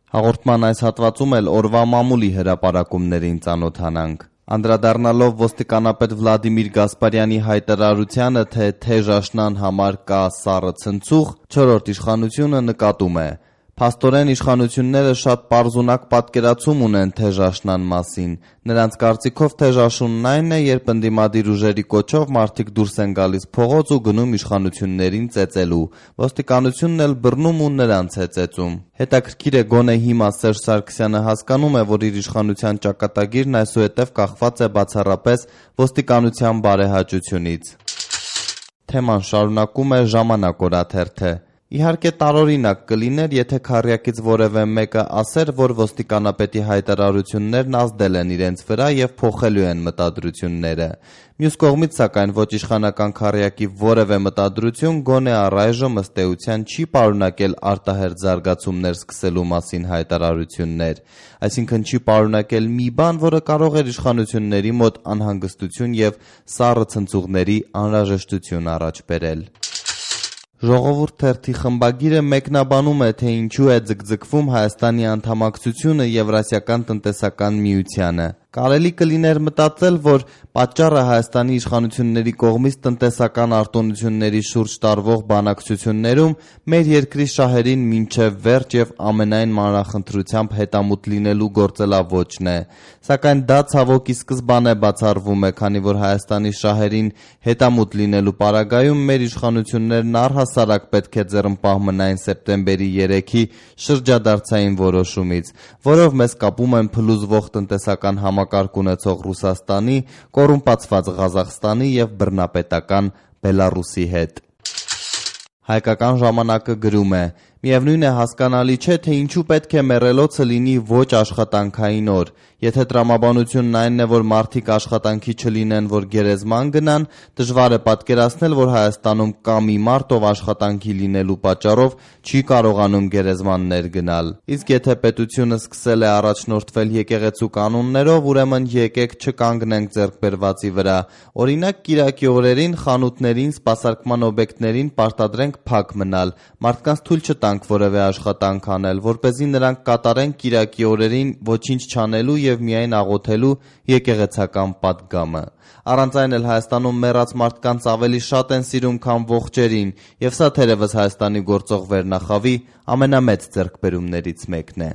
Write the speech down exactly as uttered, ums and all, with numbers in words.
Հաղորդման այս հատվածում էլ օրվա մամուլի հրապարակումներին ծանոթանանք։ Անդրադառնալով ոստիկանապետ Վլադիմիր Գասպարյանի հայտարարությանը, թե թեժ աշնան համար կա սառը ցնցուղ, չորրորդ իշխանությունը նկատում է. Փաստորեն իշխանությունները շատ պարզունակ պատկերացում ունեն թեժ աշնան մասին։ Նրանց կարծիքով թեժ աշունն այն է, երբ ընդդիմադիր ուժերի կոչով մարդիկ դուրս են գալիս փողոց ու գնում իշխանություններին ծեծելու։ Ոստիկանությունն էլ բռնում ու նրանց է ծեծում։ Հետաքրքիր է, գոնե հիմա Սերժ Սարգսյանը հասկանում է, որ իր իշխանության ճակատագիրն այսուհետև կախված է բացառապես ոստիկանության բարեհաճությունից։ Թեման շարունակում է Ժամանակ օրաթերթը։ Իհարկե տարօրինակ կլիներ, եթե քառյակից որևէ մեկը ասեր, որ ոստիկանապետի հայտարարություններն ազդել են իրենց վրա եւ փոխելու են մտադրությունները։ Մյուս կողմից, սակայն, ոչ իշխանական քառյակի որևէ մտադրություն գոնե առայժմ ըստ էության չի պարունակել արտահերթ զարգացումներ սկսելու մասին հայտարարություններ, այսինքն չի պարունակել մի բան, որը կարող էր իշխանությունների մոտ անհանգստություն եւ սառը ցնցուղների անհրաժեշտություն առաջ բերել։ Ժողովուրդ թերթի խմբագիրը մեկնաբանում է, թե ինչու է ձգձգվում Հայաստանի անդամակցությունը Եվրասիական տնտեսական միությանը։ Կարելի կլիներ մտածել, որ պատճառը Հայաստանի իշխանությունների կողմից տնտեսական արտոնությունների շուրջ տարվող բանակցություններում մեր երկրի շահերին մինչև վերջ եւ ամենայն մանրախնդրությամբ հետամուտ լինելու գործելավոճն է։ Սակայն դա ցավոք ի սկզբանե բացառվում է, քանի որ Հայաստանի շահերին հետամուտ լինելու պարագայում մեր իշխանություններն առհասարակ պետք է ձեռնպահ մնային սեպտեմբերի երեքի շրջադարձային որոշումից, որով մեզ կապում են փլուզվող տնտեսական համակարգ ունեցող Ռուսաստանի, կոռումպացված Ղազախստանի եւ բռնապետական Բելառուսի հետ։ Հայկական ժամանակը գրում է. Միևնույն է, հասկանալի չէ, թե ինչու պետք է մեռելոցը լինի ոչ աշխատանքային օր։ Եթե տրամաբանությունն այնն է, որ մարդիկ աշխատանքի չլինեն, որ գերեզման գնան, դժվար է պատկերացնել, որ Հայաստանում կա մի մարդ, ով աշխատանքի լինելու պատճառով չի կարողանում գերեզմաններ գնալ։ Իսկ եթե պետությունը սկսել է առաջնորդվել եկեղեցու կանոններով, ուրեմն եկեք չկանգնենք ձեռքբերվածի վրա։ Օրինակ, կիրակի օրերին խանութներին, սպասարկման օբյեկտներին պարտադրենք փակ մնալ, մարդկանց թույլ չտանք որևէ աշխատանք անել, որպեսզի նրանք կատարեն կիրակի օրերին ոչինչ չանելու եւ միայն աղոթելու եկեղեցական պատգամը։ Առանց այն էլ Հայաստանում մեռած մարդկանց ավելի շատ են սիրում, քան ողջերին, եւ սա թերևս Հայաստանի գործող վերնախավի ամենամեծ ձեռքբերումներից մեկն է։